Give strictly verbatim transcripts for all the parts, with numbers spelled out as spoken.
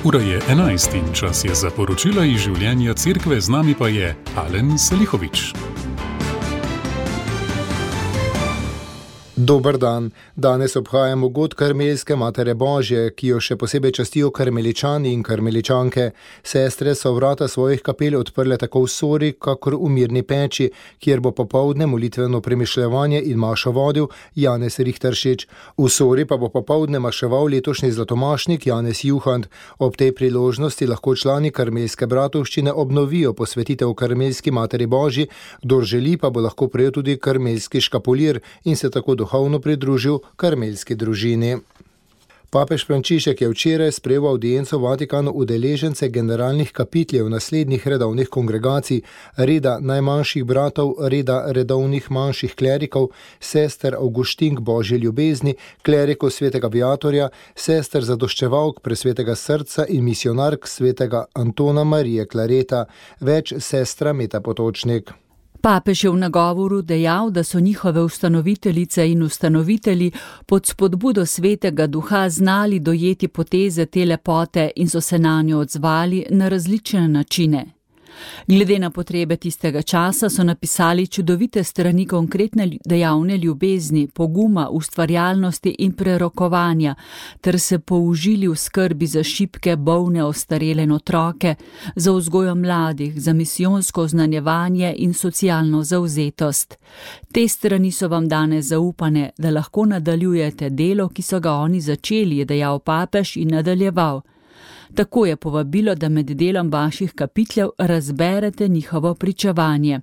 Ura je enajst in čas je za poročila iz življenja cerkve, z nami pa je Alen Salihovič. Dober dan. Danes obhajamo god Karmelske Matere Božje, ki jo še posebej častijo karmeličani in karmeličanke. Sestre so vrata svojih kapel odprle tako v Sori, kakor v Mirni Peči, kjer bo popoldne molitveno premišljevanje in mašo vodil Janez Rihteršič. V Sori pa bo popoldne maševal letošnji zlatomašnik Janez Juhant. Ob tej priložnosti lahko člani Karmelske bratovščine obnovijo posvetitev Karmelski Materi Božji, kdor želi pa bo lahko prejel tudi karmelski škapulir in se tako duhovno pridružil karmelski družini. Papež Frančišek je včeraj sprejel avdienco v Vatikanu udeležence generalnih kapitljev naslednjih redovnih kongregacij, reda najmanjših bratov, reda redovnih manjših klerikov, sester Avguštink Božje ljubezni, klerikov svetega Viatorja, sester zadoščevalk presvetega srca in misionark svetega Antona Marije Klareta, več sestra Meta Potočnik. Papež je v nagovoru dejal, da so njihove ustanoviteljice in ustanovitelji pod spodbudo svetega duha znali dojeti poteze te lepote in so se nanjo odzvali na različne načine. Glede na potrebe tistega časa so napisali čudovite strani konkretne dejavne ljubezni, poguma, ustvarjalnosti in prerokovanja, ter se použili v skrbi za šibke, bolne, ostarele in otroke, za vzgojo mladih, za misijonsko oznanjevanje in socialno zavzetost. Te strani so vam danes zaupane, da lahko nadaljujete delo, ki so ga oni začeli, je dejal papež in nadaljeval. Tako je povabilo, da med delom vaših kapitljev razberete njihovo pričevanje.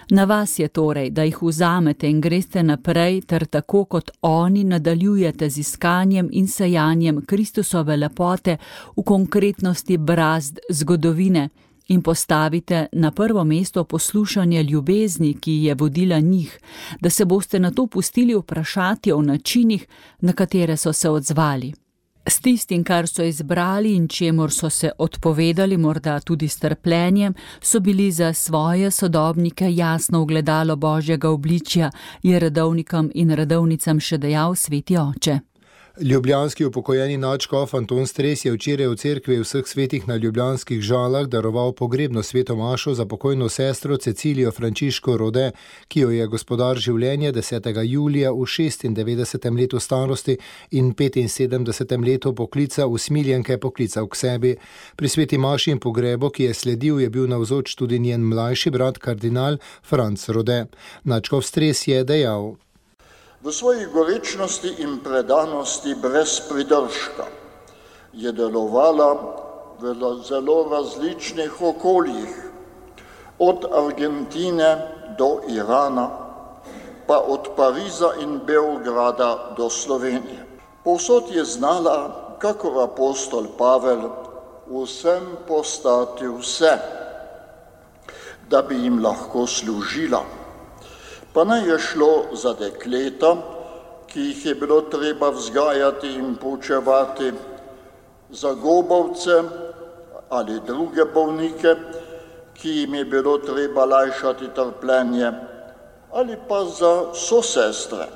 Na vas je torej, da jih vzamete in greste naprej, ter tako kot oni nadaljujete z iskanjem in sajanjem Kristusove lepote v konkretnosti brazd zgodovine in postavite na prvo mesto poslušanje ljubezni, ki je vodila njih, da se boste nato pustili vprašati o načinih, na katere so se odzvali. S tistim, kar so izbrali in čemur so se odpovedali, morda tudi s trpljenjem, so bili za svoje sodobnike jasno ogledalo Božjega obličja, je redovnikom in redovnicam še dejal sveti oče. Ljubljanski upokojeni nadškof Anton Stres je včeraj v cerkvi vseh svetih na ljubljanskih Žalah daroval pogrebno sveto mašo za pokojno sestro Cecilijo Frančiško Rode, ki jo je gospodar življenja desetega julija v šestindevetdesetem letu starosti in petinsedemdesetem letu poklica usmiljenke poklical k sebi. Pri sveti maši in pogrebu, ki je sledil, je bil navzoč tudi njen mlajši brat kardinal Franc Rode. Nadškof Stres je dejal: V svoji gorečnosti in predanosti brez pridržka je delovala v zelo različnih okoljih, od Argentine do Irana, pa od Pariza in Beograda do Slovenije. Povsod je znala, kakor apostol Pavel, vsem postati vse, da bi jim lahko služila. Pa naj je šlo za dekleta, ki jih je bilo treba vzgajati in poučevati, za gobovce ali druge bolnike, ki jim je bilo treba lajšati trpljenje, ali pa za sosestre.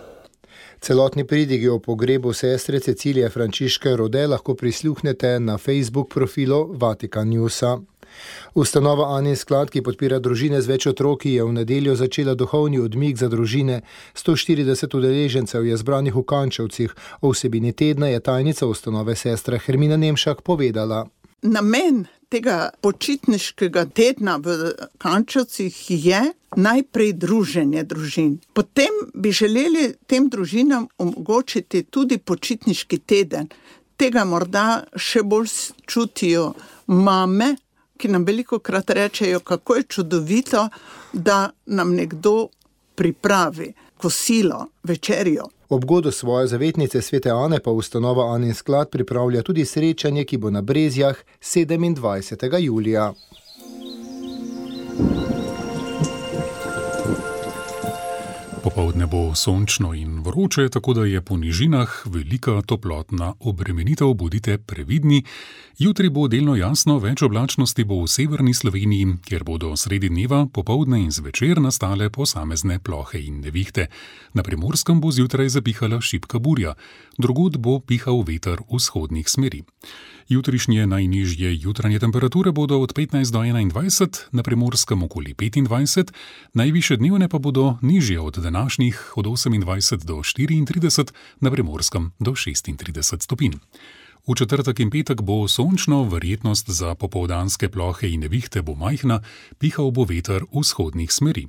Celotni pridigi o pogrebu sestre Cecilije Frančiške Rode lahko prisluhnete na Facebook profilu Vatikan Newsa. Ustanova Anin sklad, ki podpira družine z več otroki, je v nedeljo začela duhovni odmik za družine. sto štirideset udeležencev je zbranih v Kančevcih. O vsebini tedna je tajnica ustanove sestra Hermina Nemšak povedala. Namen tega počitniškega tedna v Kančevcih je najprej druženje družin. Potem bi želeli tem družinam omogočiti tudi počitniški teden. Tega morda še bolj čutijo mame, ki nam velikokrat rečejo, kako je čudovito, da nam nekdo pripravi kosilo, večerjo. Ob godu svoje zavetnice svete Ane pa ustanova Anin sklad pripravlja tudi srečanje, ki bo na Brezjah sedemindvajsetega julija. Popoldne bo sončno in vroče, tako da je po nižinah velika toplotna obremenitev, bodite previdni. Jutri bo delno jasno, več oblačnosti bo v severni Sloveniji, kjer bodo sredi dneva, popoldne in zvečer nastale posamezne plohe in nevihte. Na Primorskem bo zjutraj zapihala šibka burja, drugod bo pihal veter vzhodnih smeri. Jutrišnje najnižje jutranje temperature bodo od petnajst do enaindvajset, na Primorskem okoli petindvajset, najvišje dnevne pa bodo nižje od današnjih od osemindvajset do štiriintrideset, na Primorskem do šestintrideset stopinj. V četrtek in petek bo sončno, verjetnost za popoldanske plohe in nevihte bo majhna, pihal bo veter vzhodnih smeri.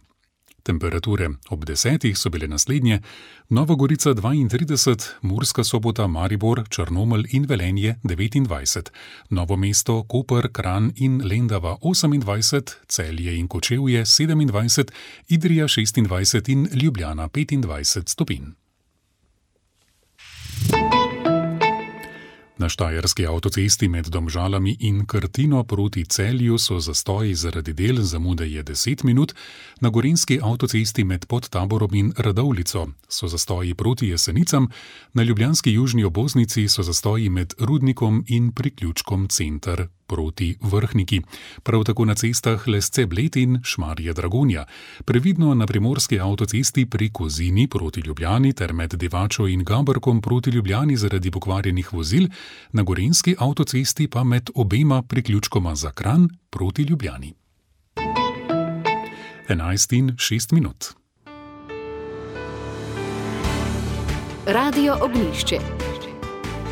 Temperature ob desetih so bile naslednje: Nova Gorica dvaintrideset, Murska Sobota, Maribor, Črnomelj in Velenje devetindvajset, Novo mesto, Koper, Kranj in Lendava osemindvajset, Celje in Kočevje sedemindvajset, Idrija šestindvajset in Ljubljana petindvajset stopinj. Na štajerski avtocesti med Domžalami in Krtino proti Celju so zastoji zaradi del, zamude je deset minut, na gorenjski avtocesti med Podtaborom in Radovljico so zastoji proti Jesenicam, na ljubljanski južni obvoznici so zastoji med Rudnikom in priključkom Center proti Vrhniki. Prav tako na cestah Lesce-Bled in Šmarje-Dragonja. Previdno na primorski avtocesti pri Kozini proti Ljubljani ter med Divačo in Gaberkom proti Ljubljani zaradi pokvarjenih vozil, na gorenjski avtocesti pa med obema priključkoma za Kranj proti Ljubljani. enajst in šest minut. Radio Ognjišče.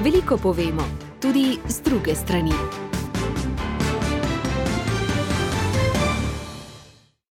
Veliko povemo, tudi z druge strani.